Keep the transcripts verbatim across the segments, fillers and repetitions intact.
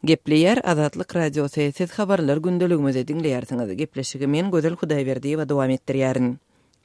Gepleýär Azatlyk Radiosy, siz habarlar gündeligimizi diňleýärsiňiz. Gepleşigi men Gözel Hudaýberdiýewa dowam etdirýärin.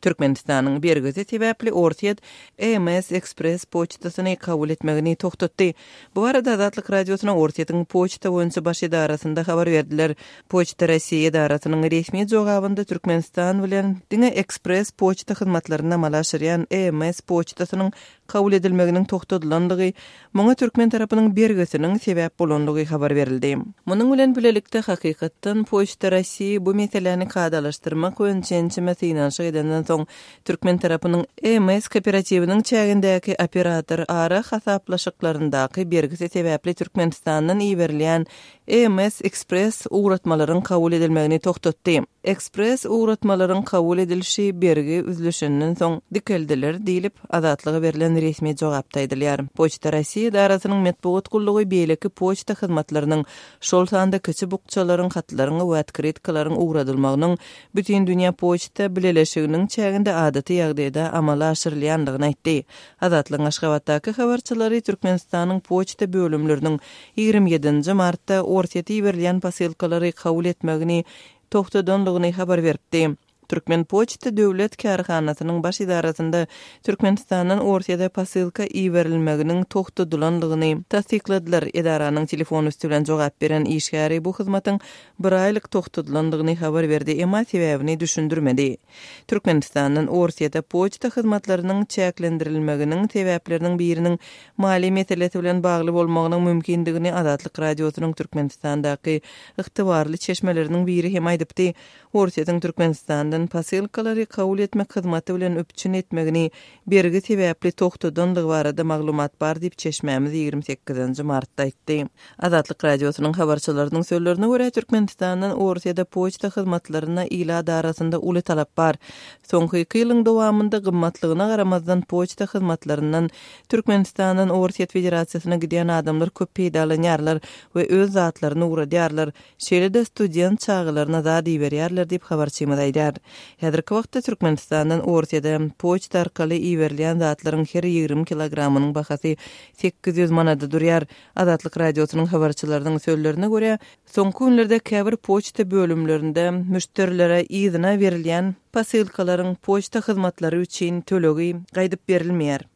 Türkmenistanyň bergisi sebäpli Orsýet E M S Express poçtasyny kabul etmegini togtatdy. Bu barada Azatlyk Radiosyna Orsýetiň poçta boýunça baş edarasynda habar berdiler. Poçta Rossiýa edarasynyň resmi jogabynda Türkmenistan bilen diňe ekspress poçta hyzmatlaryny amala aşyrýan E M S poçtasynyň kabul edilmeginiň togtadylandygy, muňa türkmen tarapynyň bergisiniň sebäp bolandygy habar berildi. Munuň bilen bilelikde hakykatdan Poçta Rossiýa bu meseläni kadalaşdyrmak boýunça ençeme synanyşyk edenden soň türkmen tarapynyň E M S kooperatiwiniň çägindäki operator ara hasaplaşyklaryndaky bergisi sebäpli Türkmenistandan iberilýän E M S Express ugratmalaryň kabul edilmegini togtatdy. Ekspress ugratmalaryň kabul edilişi bergi üzlüşenden soň dikeldiler diýlip Azatlyga berlen resmi jogapda aýdylýar. Poçta Rossiýa edarasynyň metbugat gullugy beýleki poçta hyzmatlarynyň, şol sanda kiçi bukjalaryň, hatlaryň we otkrytkalaryň ugradylmagynyň Bütün dünýä poçta bileleşiginiň çäginde adaty ýagdaýda amala aşyrylýandygyny aýtdy. Azatlygyň Aşgabatdaky habarçylary Türkmenistanyň poçta bölümleriniň ýigrimi ýedinji martda Orsýete iberilýän posylkalary kabul etmegini togtadandygyny habar beripdi. Türkmen poçta döwlet kärhanasynyň baş edarasynda Türkmenistandan Orsýete posylka iberilmeginiň togtadylandygyny tassykladylar. Edaranyň telefon üstü bilen jogap beren işgäri bu hyzmatyň bir aýlyk togtadylandygyny habar berdi, emma sebäbini düşündirmedi. Türkmenistandan Orsýete poçta hyzmatlarynyň çäklendirilmeginiň sebäpleriniň biriniň maliýe meselesi bilen bagly bolmagynyň mümkindigini Azatlyk Radiosynyň Türkmenistandaky ygtybarly çeşmeleriniň biri hem aýdypdy. Orsýetiň Türkmenistandan posylkalary kabul etmek hyzmaty bilen üpjün etmegini bergi sebäpli togtadandygy barada maglumat bar diýip çeşmämiz ýigrimi sekizinji martda aýtdy. Azatlyk Radiosynyň habarçylarynyň sözlerine görä, Türkmenistandan Orsýete poçta hyzmatlaryna ilat arasynda uly talap bar. Soňky iki ýylyň dowamynda gymmatlygyna garamazdan poçta hyzmatlaryndan Türkmenistandan Orsýet Federasiýasyna gidýän adamlar köp peýdalanýarlar we öz zatlaryny ugradýarlar. Şeýle-de student çagalaryna zat iberýärler diýip habarçymyz aýdýar. Häzirki wagtda Türkmenistandan Orsýete poçta arkaly iberilýän zatlaryň her ýigrimi kilogramynyň bahasy sekiz ýüz manada durýar. Azatlyk Radiosynyň habarçylarynyň sözlerine görä, soňky günlerde käbir poçta bölümlerinde müşderilere yzyna berilýän posylkalaryň poçta hyzmatlary üçin tölegi gaýdyp berilmeýär.